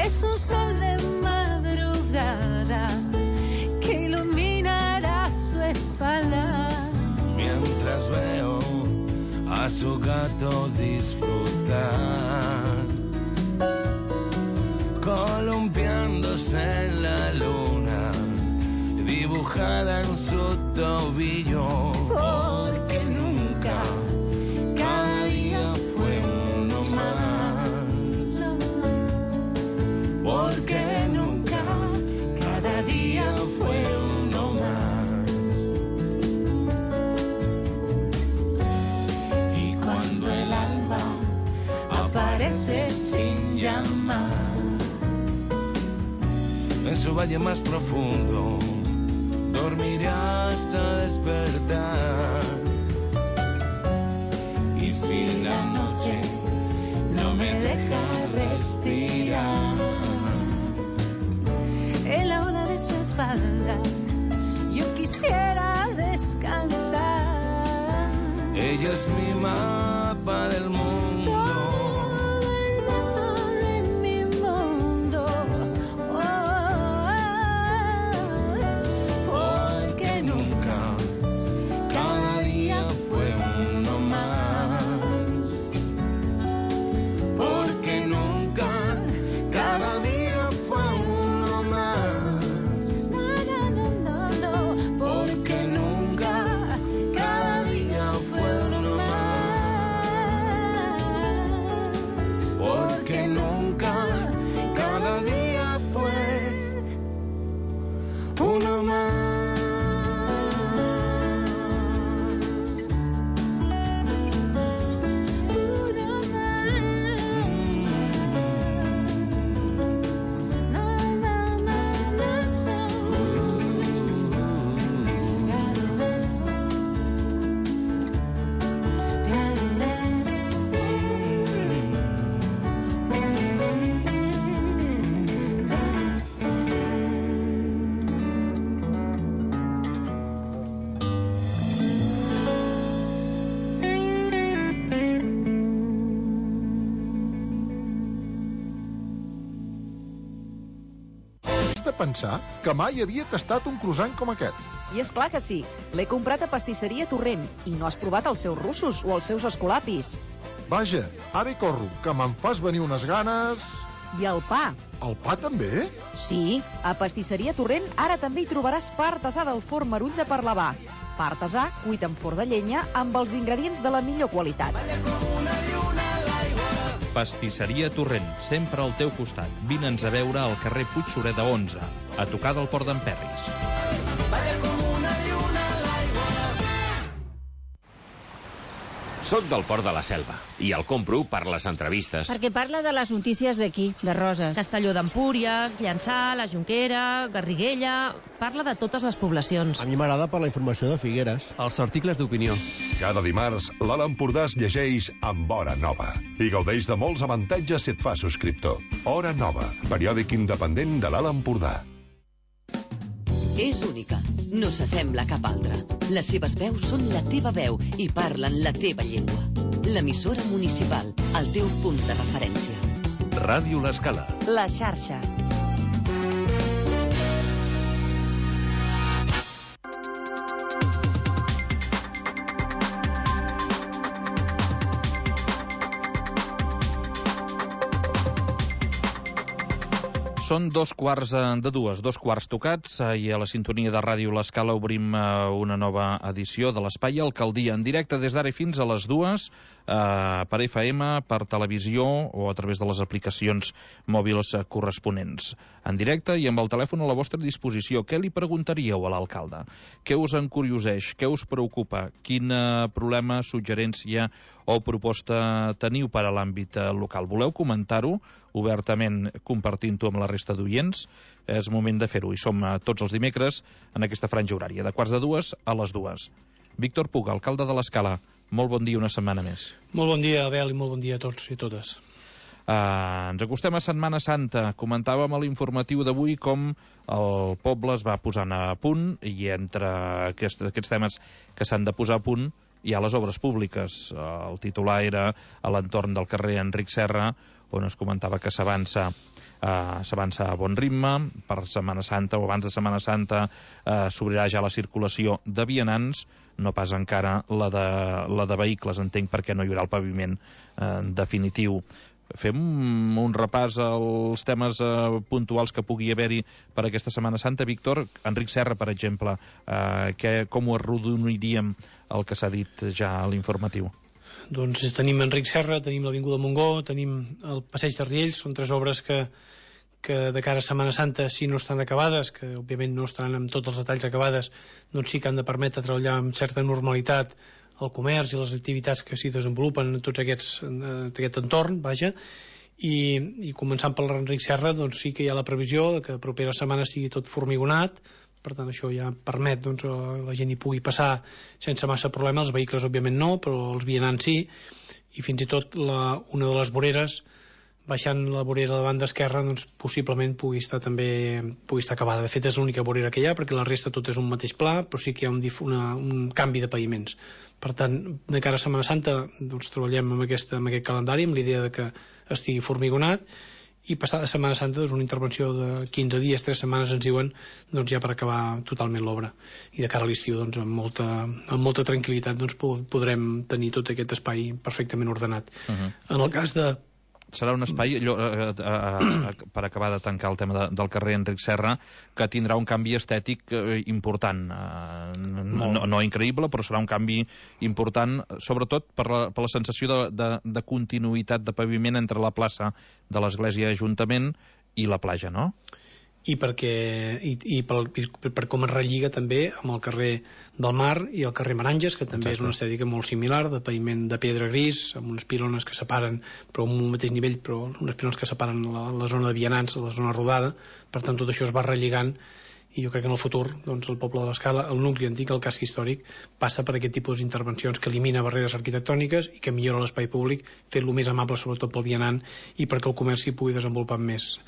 Es un sol de madrugada que iluminará su espalda. Mientras veo a su gato disfrutar, columpiándose en la luna, dibujada en su tobillo. Porque nunca, cada día fue uno más. Porque nunca, cada día fue uno más. Y cuando el alba aparece sin llamar, en su valle más profundo dormiré hasta despertar. Y si la noche no me deja respirar, En la ola de su espalda yo quisiera descansar. ella es mi mapa del mundo. Todo el mapa de mi mundo. Porque nunca, cada día fue uno más. Porque nunca, cada día fue uno más. Porque nunca, cada día fue uno más. Porque nunca, cada día fue uno más. Has de pensar que mai havia tastat un croissant com aquest. I és clar que sí. L'he comprat a Pastisseria Torrent i no has provat els seus russos o els seus escolapis. Vaja, ara hi corro, que me'n fas venir unes ganes... I el pa. El pa també? Sí, a Pastisseria Torrent ara també hi trobaràs pa artesà del forn Marull de Parlavà. Pa artesà cuit en forn de llenya amb els ingredients de la millor qualitat. Pastisseria Torrent, sempre al teu costat. Vine'ns a veure al carrer Puig Sureda 11, a tocar del Port d'en Perris. Soc del Port de la Selva i el compro per les entrevistes. Perquè parla de les notícies d'aquí, de Roses. Castelló d'Empúries, Llançà, la Jonquera, Garriguella... Parla de totes les poblacions. A mi m'agrada per la informació de Figueres. Els articles d'opinió. Cada dimarts, l'Alt Empordà es llegeix amb Hora Nova i gaudeix de molts avantatges si et fa subscriptor. Hora Nova, periòdic independent de l'Alt Empordà. És única, no s'assembla a cap altra. Les seves veus són la teva veu i parlen la teva llengua. L'emissora municipal, el teu punt de referència. Ràdio L'Escala. La xarxa. Són 2:15, 2 tocats, i a la sintonia de Ràdio L'Escala obrim una nova edició de l'Espai Alcaldia, en directe des d'ara fins a les 2, per FM, per televisió o a través de les aplicacions mòbils corresponents. En directe i amb el telèfon a la vostra disposició. Què li preguntaríeu a l'alcalde? Què us encurioseix? Què us preocupa? Quin problema, suggerència o proposta teniu per a l'àmbit local? Voleu comentar-ho obertament, compartint-ho amb la resta d'oients? És moment de fer-ho i som tots els dimecres en aquesta franja horària, de 1:45 a les 2. Víctor Puga, alcalde de l'Escala, molt bon dia, una setmana més. Molt bon dia, Abel, i molt bon dia a tots i totes. Ens acostem a Setmana Santa. Comentàvem a l'informatiu d'avui com el poble es va posant a punt i entre aquests temes que s'han de posar a punt hi ha les obres públiques. El titular era a l'entorn del carrer Enric Serra, on es comentava que s'avança s'avança a bon ritme. Per Setmana Santa o abans de Setmana Santa s'obrirà ja la circulació de vianants, no pas encara la de vehicles, entenc, perquè no hi haurà el paviment definitiu. Fem un repàs als temes puntuals que pugui haver-hi per aquesta Setmana Santa. Víctor, Enric Serra, per exemple, com ho arrodoniríem el que s'ha dit ja a l'informatiu? Doncs tenim Enric Serra, tenim l'Avinguda Montgó, tenim el Passeig de Riells, són 3 obres que de cara a Setmana Santa, si no estan acabades, que òbviament no estaran amb tots els detalls acabades, doncs sí que han de permetre treballar amb certa normalitat el comerç i les activitats que s'hi desenvolupen en tot aquest entorn, vaja, i començant per l'Enric Serra, doncs sí que hi ha la previsió que la propera setmana estigui tot formigonat, per tant això ja permet que la gent hi pugui passar sense massa problema, els vehicles òbviament no, però els vianants sí, i fins i tot una de les voreres, baixant la vorera de banda esquerra, doncs possiblement pugui estar acabada. De fet és l'única vorera que hi ha, perquè la resta tot és un mateix pla, però sí que hi ha un canvi de paviments. Per tant, de cara a Setmana Santa doncs treballem amb aquest calendari, amb l'idea de que estigui formigonat, i passada Setmana Santa doncs una intervenció de 15 dies, 3 setmanes ens diuen, doncs ja per acabar totalment l'obra. I de cara a l'estiu doncs amb molta tranquil·litat doncs podrem tenir tot aquest espai perfectament ordenat. En el cas de... Serà un espai, per acabar de tancar el tema del carrer Enric Serra, que tindrà un canvi estètic important. No increïble, però serà un canvi important, sobretot per la sensació de continuïtat de paviment entre la plaça de l'Església Ajuntament i la platja, no? I per com es relliga també amb el carrer del Mar i el carrer Meranges, que també és una estètica molt similar, de paviment de pedra gris, amb unes pilones que separen, però amb un mateix nivell, però unes pilones que separen la zona de vianants, la zona rodada. Per tant, tot això es va relligant, i jo crec que en el futur doncs, el poble de l'Escala, el nucli antic, el casc històric, passa per aquest tipus d'intervencions que elimina barreres arquitectòniques i que millora l'espai públic, fent-lo més amable sobretot pel vianant i perquè el comerç s'hi pugui desenvolupar amb més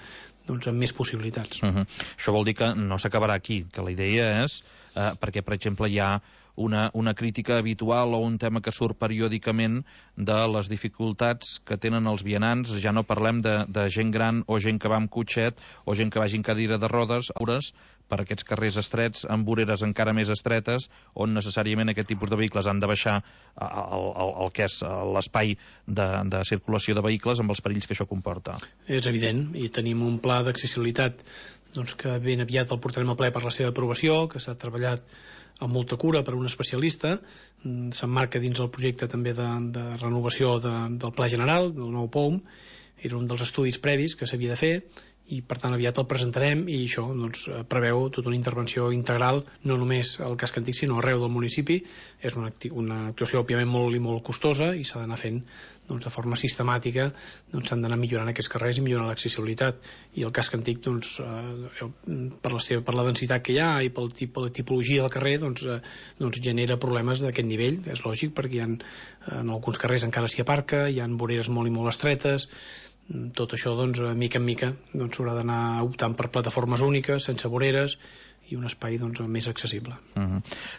possibilitats. Això vol dir que no s'acabarà aquí, que la idea és, perquè per exemple hi ha una crítica habitual o un tema que surt periòdicament de les dificultats que tenen els vianants, ja no parlem de gent gran o gent que va amb cotxet o gent que vagi en cadira de rodes, per aquests carrers estrets, amb voreres encara més estretes, on necessàriament aquest tipus de vehicles han de baixar el que és l'espai de circulació de vehicles amb els perills que això comporta. És evident, i tenim un pla d'accessibilitat doncs, que ben aviat el portarem al ple per la seva aprovació, que s'ha treballat amb molta cura per un especialista, s'emmarca dins el projecte també de renovació del Pla General, del nou POUM, era un dels estudis previs que s'havia de fer, i per tant aviat el presentarem, i això doncs, preveu tota una intervenció integral, no només al casc antic sinó arreu del municipi. És una actuació òbviament molt costosa i s'ha d'anar fent doncs, de forma sistemàtica, doncs, s'han d'anar millorant aquests carrers i millorant l'accessibilitat, i el casc antic doncs, per la densitat que hi ha i per la tipologia del carrer doncs genera problemes d'aquest nivell. És lògic, perquè en alguns carrers encara s'hi aparca, hi ha voreres molt i molt estretes. Tot això, doncs, mica en mica s'haurà d'anar optant per plataformes úniques, sense voreres, i un espai doncs, més accessible.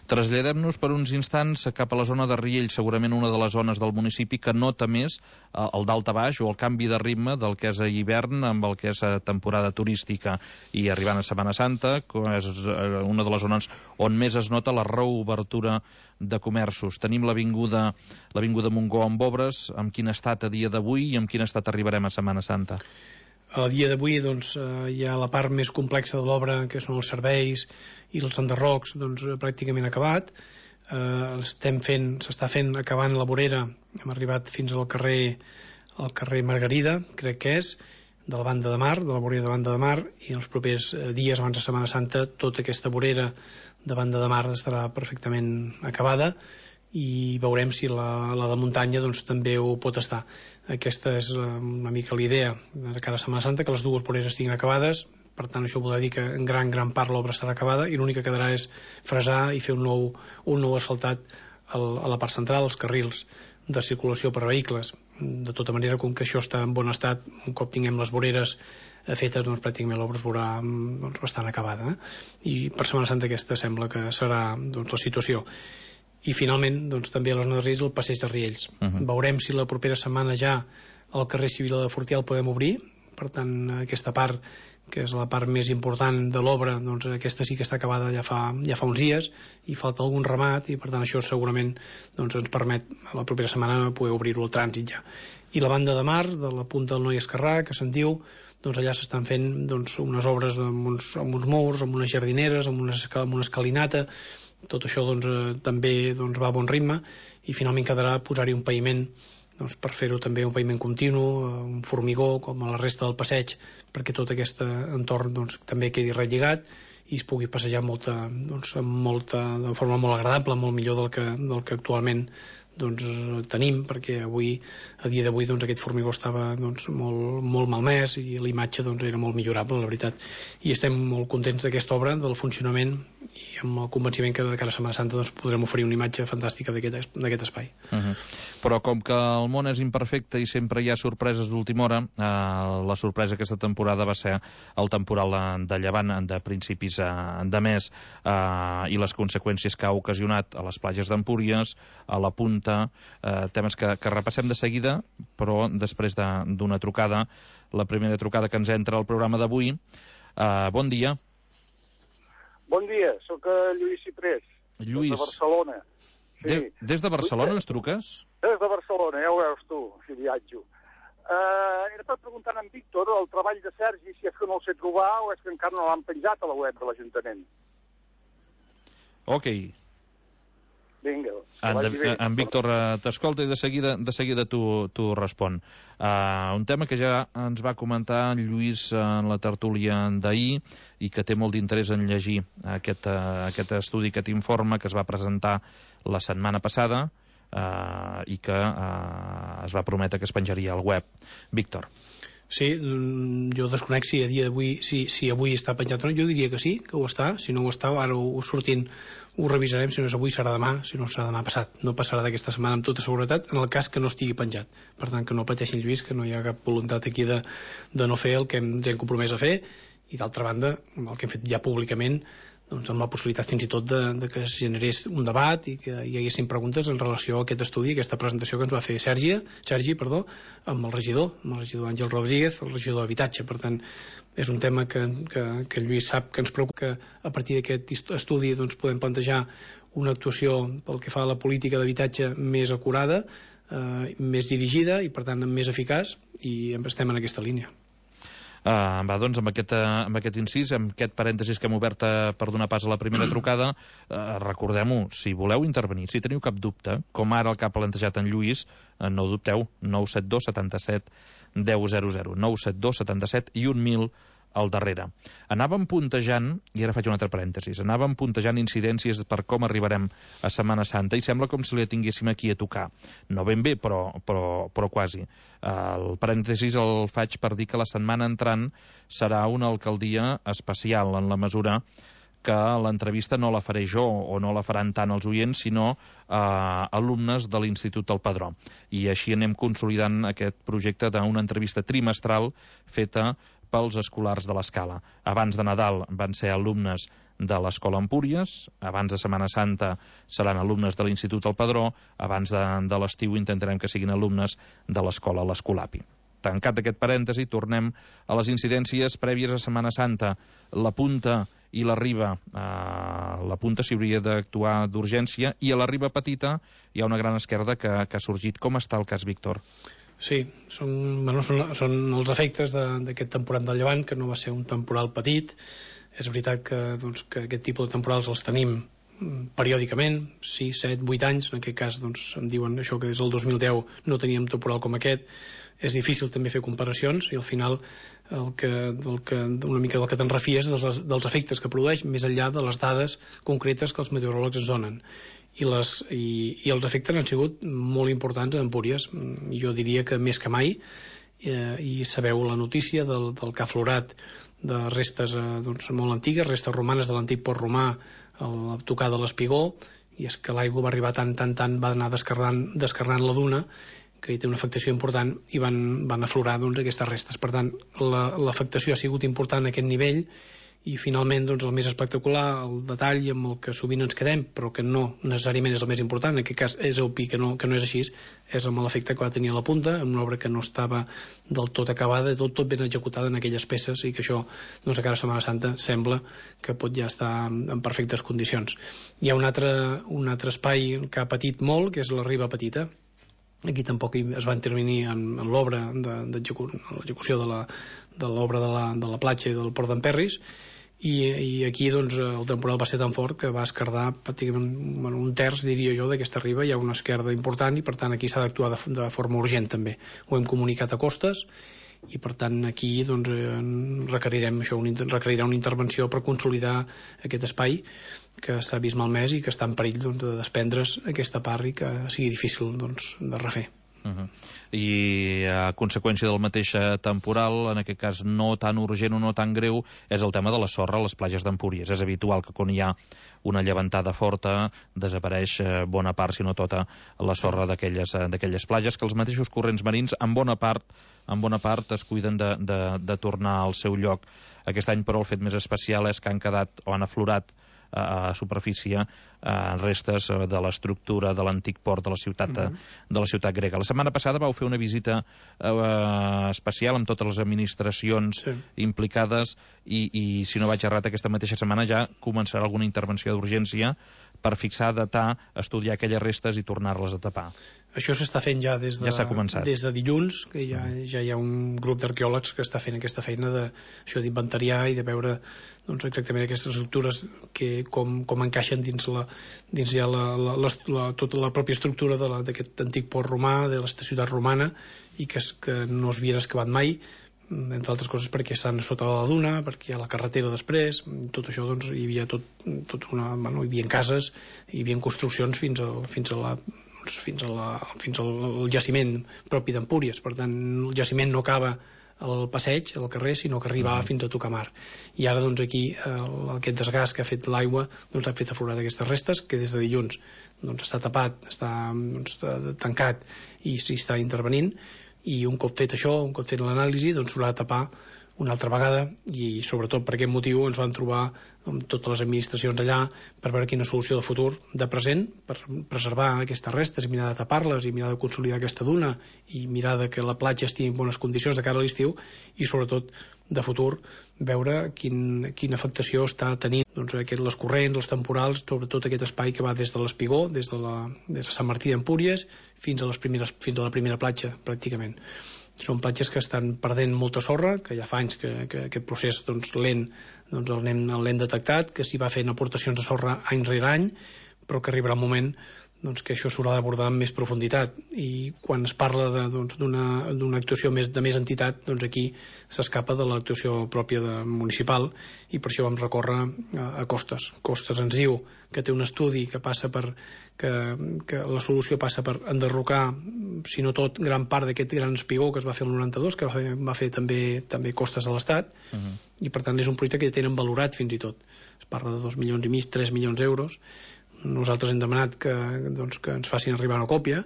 Traslladem-nos per uns instants cap a la zona de Riells, segurament una de les zones del municipi que nota més el dalt a baix o el canvi de ritme del que és a hivern amb el que és a temporada turística, i arribant a Setmana Santa és una de les zones on més es nota la reobertura de comerços. Tenim l'Avinguda Montgó amb obres, amb quin estat a dia d'avui i amb quin estat arribarem a Setmana Santa? A dia d'avui doncs, hi ha la part més complexa de l'obra, que són els serveis i els enderrocs, doncs, pràcticament acabat. S'està fent acabant la vorera, hem arribat fins al carrer Margarida, crec que és, de la banda de mar, de la vorera de banda de mar, i en els propers dies abans de Setmana Santa tota aquesta vorera de banda de mar estarà perfectament acabada, i veurem si la de muntanya doncs, també ho pot estar. Aquesta és una mica la idea de cara a Setmana Santa, que les dues voreres estiguin acabades. Per tant, això voldrà dir que en gran part l'obra estarà acabada, i l'únic que quedarà és fresar i fer un nou asfaltat a la part central, als carrils de circulació per a vehicles. De tota manera, com que això està en bon estat, un cop tinguem les voreres fetes, doncs pràcticament l'obra es veurà doncs, bastant acabada. I per Setmana Santa aquesta sembla que serà doncs, la situació. I finalment, doncs, també a la zona de Riells, el passeig de Riells. Veurem si la propera setmana ja el carrer Civil de Fortià el podem obrir, per tant aquesta part, que és la part més important de l'obra, doncs aquesta sí que està acabada ja fa uns dies, i falta algun remat, i per tant això segurament doncs, ens permet la propera setmana poder obrir-ho al trànsit ja. I la banda de mar, de la punta del Noi Esquerrà, que se'n diu, doncs allà s'estan fent doncs, unes obres amb uns murs, amb unes jardineres, amb una escalinata. Tot això doncs, també doncs, va a bon ritme, i finalment quedarà posar-hi un paviment doncs, per fer-ho també un paviment continu, un formigó com a la resta del passeig, perquè tot aquest entorn doncs, també quedi relligat i es pugui passejar de forma molt agradable, molt millor del que actualment doncs, tenim, perquè a dia d'avui doncs, aquest formigó estava doncs, molt malmès i la imatge doncs, era molt millorable, la veritat. I estem molt contents d'aquesta obra, del funcionament, i amb el convenciment que de cara a Setmana Santa doncs, podrem oferir una imatge fantàstica d'aquest espai. Però com que el món és imperfecte i sempre hi ha sorpreses d'última hora, la sorpresa aquesta temporada va ser el temporal de llevant de principis de mes i les conseqüències que ha ocasionat a les platges d'Empúries, a la Punta, temes que repassem de seguida, però després d'una trucada, la primera trucada que ens entra al programa d'avui. Bon dia. Bon dia, sóc Lluís Ciprés, Lluís. de Barcelona. Sí. Des de Barcelona ens truques? Des de Barcelona, ja ho veus tu, si viatjo. Era per preguntar a en Víctor el treball de Sergi, si és que no el sé trobar o és que encara no l'han penjat a la web de l'Ajuntament. Ok. Vinga. En Víctor t'escolta i de seguida t'ho respon. Un tema que ja ens va comentar en Lluís en la tertúlia d'ahir i que té molt d'interès en llegir aquest estudi, aquest informe que es va presentar la setmana passada i que es va prometre que es penjaria al web. Víctor. Sí, jo desconec si a dia d'avui si avui està penjat o no. Jo diria que sí, que ho està. Si no ho està, ara sortint ho revisarem. Si no és avui serà demà, si no serà demà passat. No passarà d'aquesta setmana amb tota seguretat, en el cas que no estigui penjat. Per tant, que no pateixin, Lluís, que no hi ha cap voluntat aquí de no fer el que ens hem compromès a fer, i d'altra banda, el que hem fet ja públicament, doncs amb la possibilitat fins i tot de que es generés un debat i que hi haguessin preguntes en relació a aquest estudi, aquesta presentació que ens va fer Sergi, amb el regidor Àngel Rodríguez, el regidor d'Habitatge. Per tant, és un tema que el Lluís sap que ens preocupa, que a partir d'aquest estudi doncs, podem plantejar una actuació pel que fa a la política d'habitatge més acurada, més dirigida i per tant més eficaç, i estem en aquesta línia. Doncs amb aquest incís, amb aquest parèntesis que hem obert per donar pas a la primera trucada, recordem-ho, si voleu intervenir, si teniu cap dubte, com ara el que ha plantejat en Lluís, no dubteu, 972 77 1000, 972 77 i 1000 al darrere. Anàvem puntejant, i ara faig un altre parèntesis, incidències per com arribarem a Setmana Santa, i sembla com si la tinguéssim aquí a tocar. No ben bé, però quasi. El parèntesis el faig per dir que la setmana entrant serà una alcaldia especial, en la mesura que l'entrevista no la faré jo o no la faran tant els oients, sinó alumnes de l'Institut del Padró. I així anem consolidant aquest projecte d'una entrevista trimestral feta pels escolars de l'Escala. Abans de Nadal van ser alumnes de l'Escola Empúries, abans de Setmana Santa seran alumnes de l'Institut del Padró, abans de l'estiu intentarem que siguin alumnes de l'Escola l'Escolapi. Tancat aquest parèntesi, tornem a les incidències prèvies a Setmana Santa. La Punta i la Riba. La Punta s'hi hauria d'actuar d'urgència, i a la Riba Petita hi ha una gran esquerda que ha sorgit. Com està el cas, Víctor? Sí, són els efectes d'aquest temporal de llevant, que no va ser un temporal petit. És veritat que aquest tipus de temporals els tenim periòdicament, 6, 7, 8 anys. En aquest cas em diuen això, que des del 2010 no teníem temporal com aquest. És difícil també fer comparacions, i al final una mica del que te'n refies dels efectes que produeix, més enllà de les dades concretes que els meteoròlegs ens donen. I els efectes han sigut molt importants a Empúries. Jo diria que més que mai, i sabeu la notícia del que ha aflorat de restes molt antigues, restes romanes de l'antic port romà, a la tocada de l'Espigó, i és que l'aigua va arribar tant, va anar descarnant la duna, que hi té una afectació important, i van aflorar aquestes restes. Per tant, l'afectació ha sigut important a aquest nivell, i finalment doncs, el més espectacular, el detall amb el que sovint ens quedem, però que no necessàriament és el més important, en aquest cas és obvi que no és així, és amb l'efecte que va tenir a la punta, en una obra que no estava del tot acabada, tot ben executada en aquelles peces, i que això, doncs, a cara Setmana Santa sembla que pot ja estar en perfectes condicions. Hi ha un altre espai que ha patit molt, que és la Riba Petita. Aquí tampoc es va intervenir en l'obra l'execució de l'obra de la platja i del Port d'Emperris, i aquí doncs, el temporal va ser tan fort que va esquerdar pràcticament un terç, diria jo, d'aquesta riba. Hi ha una esquerda important i per tant aquí s'ha d'actuar de forma urgent també. Ho hem comunicat a Costes i per tant aquí doncs, requerirà una intervenció per consolidar aquest espai que s'ha vist malmès i que està en perill doncs, de desprendre's aquesta part i que sigui difícil doncs, de refer. I a conseqüència del mateix temporal, en aquest cas no tan urgent o no tan greu, és el tema de la sorra a les platges d'Empúries. És habitual que quan hi ha una llevantada forta desapareix bona part, si no tota, la sorra d'aquelles platges, que els mateixos corrents marins en bona part es cuiden de tornar al seu lloc. Aquest any, però, el fet més especial és que han quedat o han aflorat a superfície restes de l'estructura de l'antic port de la ciutat grega. La setmana passada vau fer una visita especial amb totes les administracions implicades i si no vaig errat, aquesta mateixa setmana ja començarà alguna intervenció d'urgència per fixar, datar, estudiar aquelles restes i tornar-les a tapar. Això s'està fent ja des de dilluns, que ja hi ha un grup d'arqueòlegs que està fent aquesta feina d'inventariar i de veure doncs, exactament aquestes estructures com encaixen dins tota la pròpia estructura d'aquest antic port romà, de aquesta ciutat romana, i que no es havien excavat mai, entre altres coses perquè estan sota la duna, perquè hi ha la carretera després. Tot això doncs, hi havia hi havia cases, hi havia construccions fins al jaciment propi d'Empúries. Per tant, el jaciment no acaba al passeig, al carrer, sinó que arribava fins a tocar mar. I ara doncs aquí aquest desgast que ha fet l'aigua doncs ha fet aflorar aquestes restes, que des de dilluns doncs està tapat, està tancat i s'hi està intervenint, i un cop fet això, un cop fet l'anàlisi, doncs s'haurà de tapar una altra vegada, i sobretot per aquest motiu ens vam trobar amb totes les administracions allà per veure quina solució de futur, de present, per preservar aquestes restes i mirar de tapar-les i mirar de consolidar aquesta duna i mirar de que la platja estigui en bones condicions de cara a l'estiu, i sobretot de futur veure quina afectació està tenint doncs, les corrents, els temporals, sobretot aquest espai que va des de l'Espigó, des de Sant Martí d'Empúries fins a la primera platja pràcticament. Són platges que estan perdent molta sorra, que ja fa anys que aquest procés lent l'hem detectat, que s'hi va fent aportacions de sorra any rere any, però que arribarà un moment que això s'haurà d'abordar amb més profunditat, i quan es parla d'una actuació de més entitat, doncs aquí s'escapa de l'actuació pròpia municipal, i per això vam recórrer a Costes. Costes ens diu que té un estudi que passa que la solució passa per enderrocar, si no tot, gran part d'aquest gran espigó que es va fer el 92, que va fer també Costes a l'Estat, i per tant és un projecte que ja tenen valorat fins i tot. Es parla de 2,5 milions, 3 milions d'euros. Nosaltres hem demanat que ens facin arribar una còpia,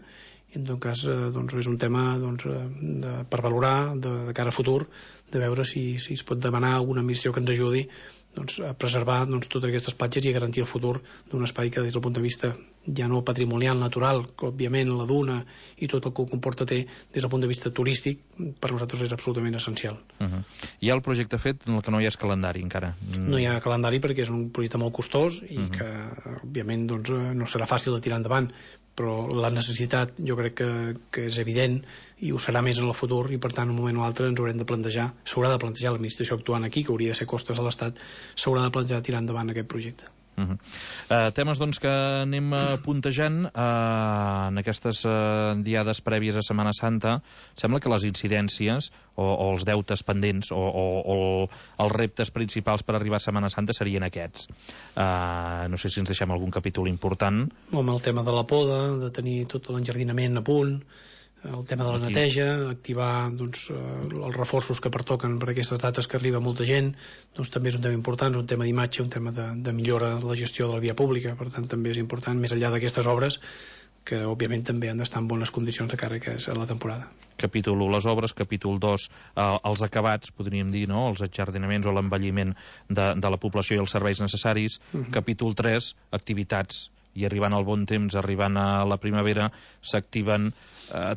i en tot cas és un tema per valorar de cara a futur, de veure si es pot demanar alguna administració que ens ajudi a preservar totes aquestes platges i a garantir el futur d'un espai que des del punt de vista ja no patrimonial, natural, que òbviament la duna i tot el que comporta té, des del punt de vista turístic, per nosaltres és absolutament essencial. Hi ha el projecte fet en el que no hi ha calendari encara? No hi ha calendari perquè és un projecte molt costós i que òbviament no serà fàcil de tirar endavant, però la necessitat jo crec que és evident i ho serà més en el futur, i per tant un moment o altre ens haurem de plantejar, s'haurà de plantejar l'administració actuant aquí, que hauria de ser Costes a l'Estat, s'haurà de plantejar tirar endavant aquest projecte. Temes doncs que anem puntejant en aquestes diades prèvies a Setmana Santa. Sembla que les incidències o els deutes pendents o els reptes principals per arribar a Setmana Santa serien aquests. No sé si ens deixem algun capítol important. Home, el tema de la poda, de tenir tot l'enjardinament a punt, el tema de la neteja, activar els reforços que pertoquen per aquestes dates que arriba molta gent, també és un tema important, és un tema d'imatge, un tema de millora de la gestió de la via pública. Per tant també és important, més enllà d'aquestes obres, que òbviament també han d'estar en bones condicions de cara a la temporada. Capítol 1, les obres. Capítol 2, els acabats, podríem dir, no? Els ajardinaments o l'envelliment de la població i els serveis necessaris. Capítol 3, activitats. I arribant al bon temps, arribant a la primavera, s'activen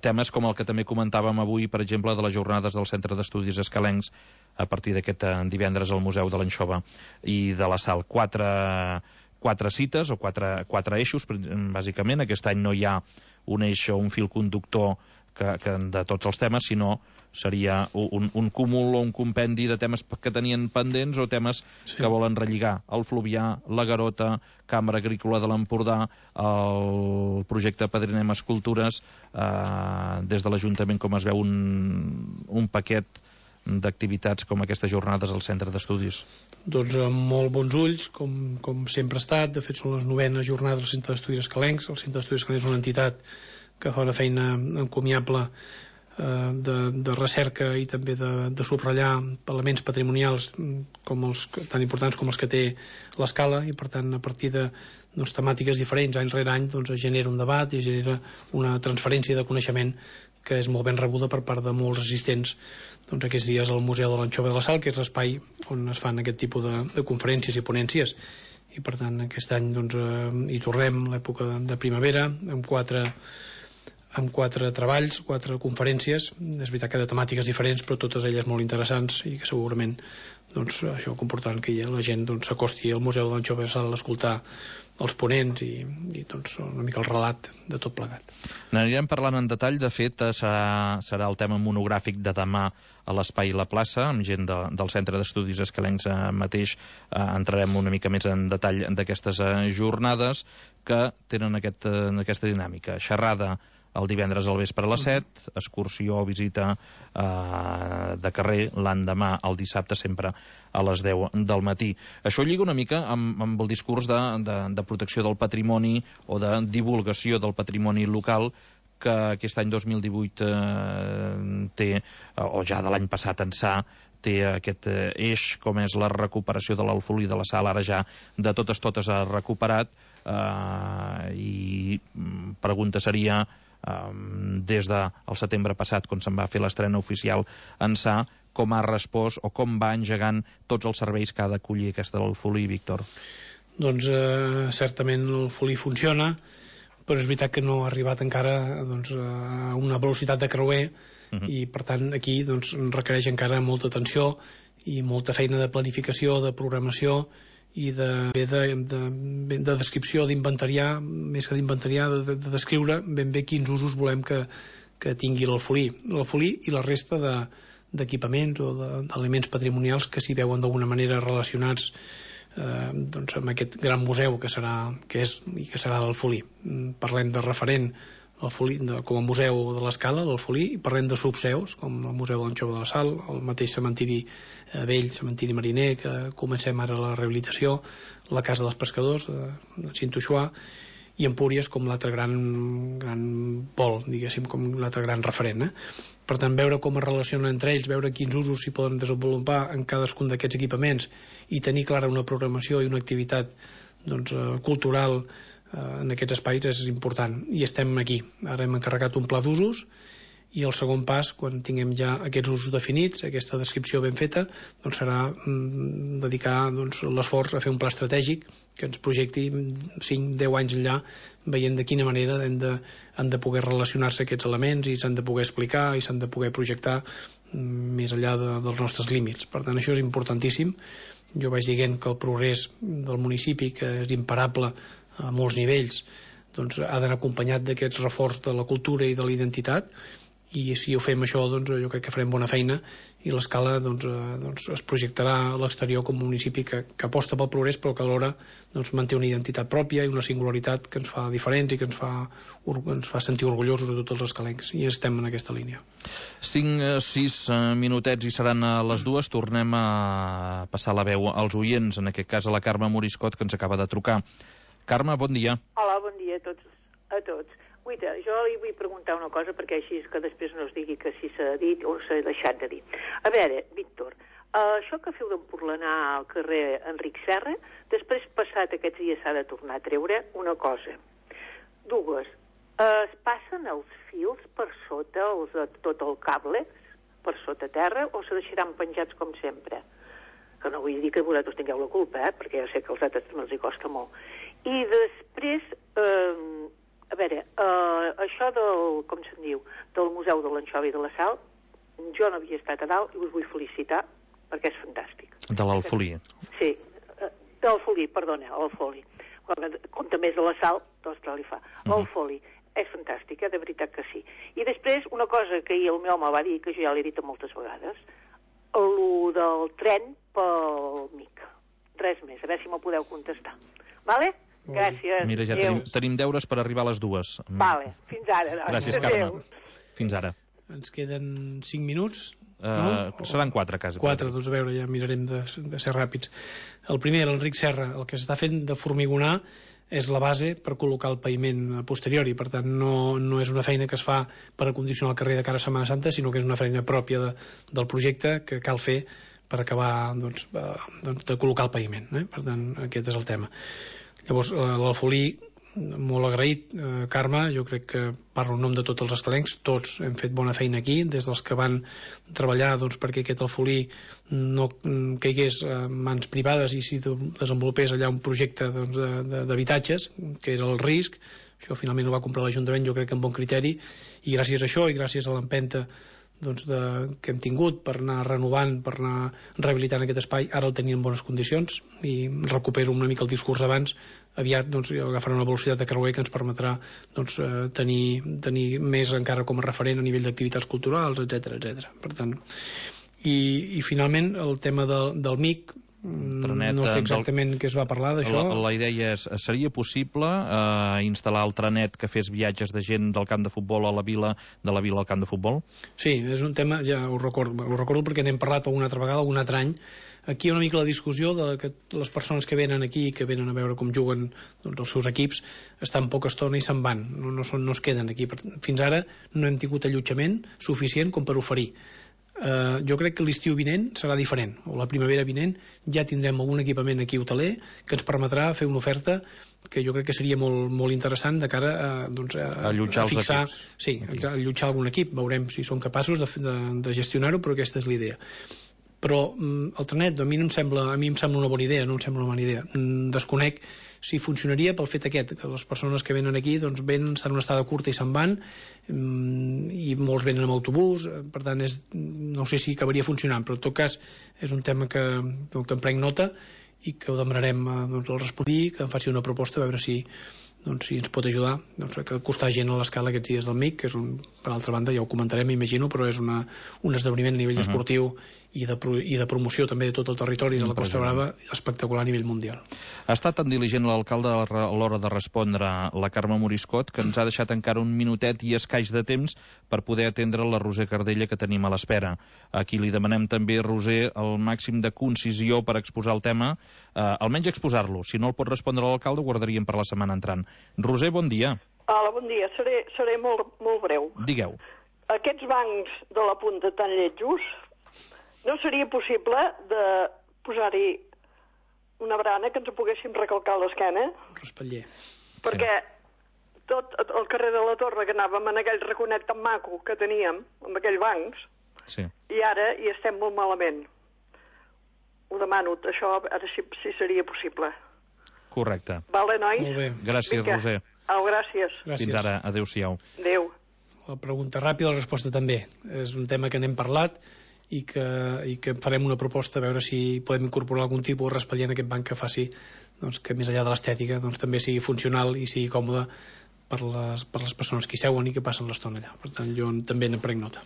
temes com el que també comentàvem avui, per exemple, de les jornades del Centre d'Estudis Escalencs, a partir d'aquest divendres al Museu de l'Anxova i de la Sal. Quatre cites o quatre eixos, bàsicament. Aquest any no hi ha un eix o un fil conductor de tots els temes, sinó seria un cúmul o un compendi de temes que tenien pendents o temes que volen relligar. El Fluvià, la Garota, Cambra Agrícola de l'Empordà, el projecte Padrinem Escultures, des de l'Ajuntament, com es veu, un paquet d'activitats com aquestes jornades al Centre d'Estudis. Doncs amb molt bons ulls, com sempre ha estat. De fet, són les 9enes jornades del Centre d'Estudis Escalencs. El Centre d'Estudis Escalencs és una entitat que fa una feina encomiable de recerca i també de subratllar elements patrimonials tan importants com els que té l'Escala, i per tant a partir de temàtiques diferents any rere any es genera un debat i genera una transferència de coneixement que és molt ben rebuda per part de molts assistents aquests dies al Museu de l'Anxova de la Sal, que és l'espai on es fan aquest tipus de conferències i ponències. I per tant aquest any hi tornem l'època de primavera amb quatre treballs, 4 conferències. És veritat que de temàtiques diferents, però totes elles molt interessants i que segurament això comportarà que la gent s'acosti al Museu de l'Anxova de la Sal a escoltar els ponents i una mica el relat de tot plegat. N'anirem parlant en detall. De fet, serà el tema monogràfic de demà a l'Espai La Plaça, amb gent del Centre d'Estudis Escalencs mateix. Entrarem una mica més en detall d'aquestes jornades que tenen aquesta dinàmica. Xerrada el divendres al vespre a les 7, excursió o visita de carrer l'endemà, el dissabte, sempre a les 10 del matí. Això lliga una mica amb el discurs de protecció del patrimoni o de divulgació del patrimoni local que aquest any 2018 té, o ja de l'any passat ençà, té aquest eix, com és la recuperació de l'Alfolí de la Sal, ara ja de totes recuperat. I pregunta seria, des del setembre passat, quan se'n va fer l'estrena oficial ençà, com ha respost o com va engegant tots els serveis que ha d'acollir aquesta Alfolí, Víctor? Doncs certament l'Alfolí funciona, però és veritat que no ha arribat encara a una velocitat de creuer, i per tant aquí requereix encara molta atenció i molta feina de planificació, de programació i de descripció, d'inventariar, més que d'inventariar, de descriure ben bé quins usos volem que tingui l'Alfolí i la resta d'equipaments o d'elements patrimonials que s'hi veuen d'alguna manera relacionats amb aquest gran museu que és i que serà l'Alfolí. Parlem de referent com a museu de l'Escala, l'Alfolí, i parlem de subseus, com el Museu de l'Anxova de la Sal, el mateix cementiri vell, cementiri mariner, que comencem ara la rehabilitació, la Casa dels Pescadors, de Cintoixuà, i Empúries com l'altre gran pol, diguéssim, com l'altre gran referent. Per tant, veure com es relacionen entre ells, veure quins usos s'hi poden desenvolupar en cadascun d'aquests equipaments i tenir clara una programació i una activitat cultural en aquests espais és important, i estem aquí. Ara hem encarregat un pla d'usos i el segon pas, quan tinguem ja aquests usos definits, aquesta descripció ben feta, serà dedicar l'esforç a fer un pla estratègic que ens projecti 5-10 anys enllà, veient de quina manera han de poder relacionar-se aquests elements i s'han de poder explicar i s'han de poder projectar més enllà dels nostres límits. Per tant, això és importantíssim. Jo vaig dient que el progrés del municipi, que és imparable a molts nivells, ha d'anar acompanyat d'aquest reforç de la cultura i de la identitat, i si ho fem això, jo crec que farem bona feina i l'Escala es projectarà a l'exterior com un municipi que aposta pel progrés, però que alhora manté una identitat pròpia i una singularitat que ens fa diferents i que ens fa sentir orgullosos de tots els escalencs, i estem en aquesta línia. 5-6 minutets i seran a les 2. Tornem a passar la veu als oients, en aquest cas a la Carme Moriscot, que ens acaba de trucar. Carme, bon dia. Hola, bon dia a tots. Guaita, jo li vull preguntar una cosa, perquè així que després no es digui que si s'ha dit o s'ha deixat de dir. A veure, Víctor, això que feu d'empurlanar al carrer Enric Serra, després passat aquests dies s'ha de tornar a treure una cosa. Dues. Es passen els fils per sota, tot el cable, per sota terra, o se deixaran penjats com sempre? Que no vull dir que vosaltres tingueu la culpa, perquè ja sé que als altres també els hi costa molt. I després, a veure, això del, com se'n diu, del Museu de l'Anxova i de la Sal, jo no havia estat a dalt i us vull felicitar perquè és fantàstic. De l'Alfolí. Sí, de l'Alfolí, perdona, l'Alfolí. Com també és de la Sal, doncs què li fa? L'Alfolí és fantàstic, de veritat que sí. I després, una cosa que ahir el meu home va dir, que jo ja l'he dit moltes vegades, el del tren pel MIC. Res més, a veure si m'ho podeu contestar. Vale? Gràcies. Mira, ja tenim deures per arribar a les 2. Vale, fins ara. Doncs. Gràcies, Carme. Fins ara. Ens queden 5 minuts. Seran 4, quasi. 4, doncs a veure, ja mirarem de ser ràpids. El primer, l'Enric Serra, el que s'està fent de formigonar és la base per col·locar el paviment a posteriori, per tant no és una feina que es fa per acondicionar el carrer de cara a Setmana Santa, sinó que és una feina pròpia del projecte que cal fer per acabar de col·locar el paviment. Per tant, aquest és el tema. Llavors, l'Alfolí, molt agraït, Carme, jo crec que parlo en nom de tots els escalencs, tots hem fet bona feina aquí, des dels que van treballar perquè aquest Alfolí no caigués en mans privades i si desenvolupés allà un projecte d'habitatges, que era el risc. Això finalment ho va comprar l'Ajuntament, jo crec que amb bon criteri, i gràcies a això i gràcies a l'empenta que hem tingut per anar renovant, per anar rehabilitant aquest espai, ara el tenim en bones condicions i recupero una mica el discurs d'abans, aviat agafarà una velocitat de creuer que ens permetrà tenir més encara com a referent a nivell d'activitats culturals, etc. Per tant, i finalment el tema del MIC, no sé exactament què es va parlar d'això. La idea és, seria possible instal·lar el trenet que fes viatges de gent del camp de futbol a la vila, de la vila al camp de futbol? Sí, és un tema, ja ho recordo perquè n'hem parlat alguna altra vegada, algun altre any. Aquí hi ha una mica la discussió de que les persones que venen aquí, que venen a veure com juguen els seus equips, estan poca estona i se'n van, no es queden aquí. Fins ara no hem tingut allotjament suficient com per oferir. Jo crec que l'estiu vinent serà diferent, o la primavera vinent ja tindrem algun equipament aquí hoteler que ens permetrà fer una oferta que jo crec que seria molt interessant de cara a allotjar fixar, els equips. Sí, a allotjar algun equip, veurem si som capaços de gestionar-ho, però aquesta és l'idea. Però el trenet a mi em sembla una bona idea, no em sembla una bona idea. Desconec si funcionaria pel fet aquest, que les persones que venen aquí venen, estan en una estada curta i se'n van, i molts venen amb autobús, per tant no sé si acabaria funcionant, però en tot cas és un tema que en prenc nota i que ho demanarem al respondí, que em faci una proposta a veure si ens pot ajudar a costar gent a l'escala aquests dies del MIC, que és per altra banda, ja ho comentarem, imagino, però és un esdeveniment a nivell esportiu i de promoció també de tot el territori de la Costa Brava espectacular a nivell mundial. Ha estat tan diligent l'alcalde a l'hora de respondre la Carme Moriscot que ens ha deixat encara un minutet i escaix de temps per poder atendre la Roser Cardella que tenim a l'espera. Aquí li demanem també, Roser, el màxim de concisió per exposar el tema, almenys exposar-lo. Si no el pot respondre l'alcalde, ho guardaríem per la setmana entrant. Roser, bon dia. Hola, bon dia. Seré molt breu. Digueu. Aquests bancs de la punta tan lletjos, no seria possible de posar-hi una barana que ens poguéssim recalcar l'esquena? Respatller. Perquè tot el carrer de la Torre, que anàvem en aquell raconet tan maco que teníem, amb aquells bancs, i ara hi estem molt malament. Ho demano, això ara sí seria possible. Correcte. Vale, nois? Molt bé. Gràcies, Roser. Gràcies. Fins ara. Adéu-siau. Adéu. La pregunta ràpida, la resposta també. És un tema que n'hem parlat i que farem una proposta a veure si podem incorporar algun tipus de raspallar en aquest banc que faci que més enllà de l'estètica també sigui funcional i sigui còmode per les persones que hi seuen i que passen l'estona allà. Per tant, jo també ne prenc nota.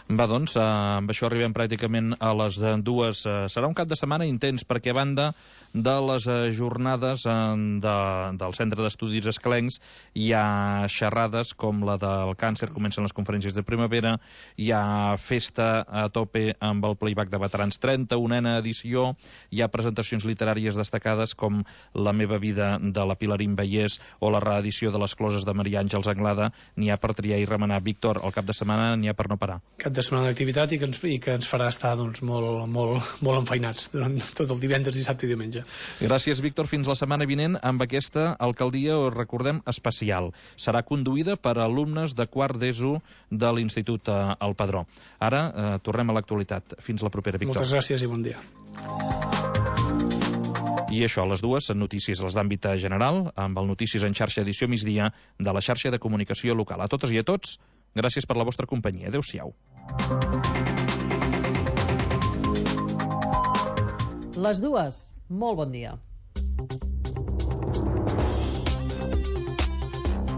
Va, doncs, amb això arribem pràcticament a les 2. Serà un cap de setmana intens, perquè a banda de les jornades del Centre d'Estudis Escalencs hi ha xerrades com la del càncer, comencen les conferències de primavera, hi ha festa a tope amb el playback de veterans, 31a edició, hi ha presentacions literàries destacades com La meva vida de la Pilarín Vallès o la reedició de Les closes de Maria Àngels Anglada, n'hi ha per triar i remenar. Víctor, el cap de setmana n'hi ha per no parar. Cap de setmana d'activitat i que ens farà estar doncs, molt enfeinats durant tot el divendres, dissabte i diumenge. Gràcies, Víctor. Fins la setmana vinent amb aquesta alcaldia, us recordem, especial. Serà conduïda per alumnes de quart d'ESO de l'Institut El Padró. Ara tornem a l'actualitat. Fins la propera, Víctor. Moltes gràcies i bon dia. I això, a les 2, notícies a les d'àmbit general, amb el Notícies en xarxa edició migdia de la xarxa de comunicació local. A totes i a tots, gràcies per la vostra companyia. Adéu-siau. Les 2, molt bon dia.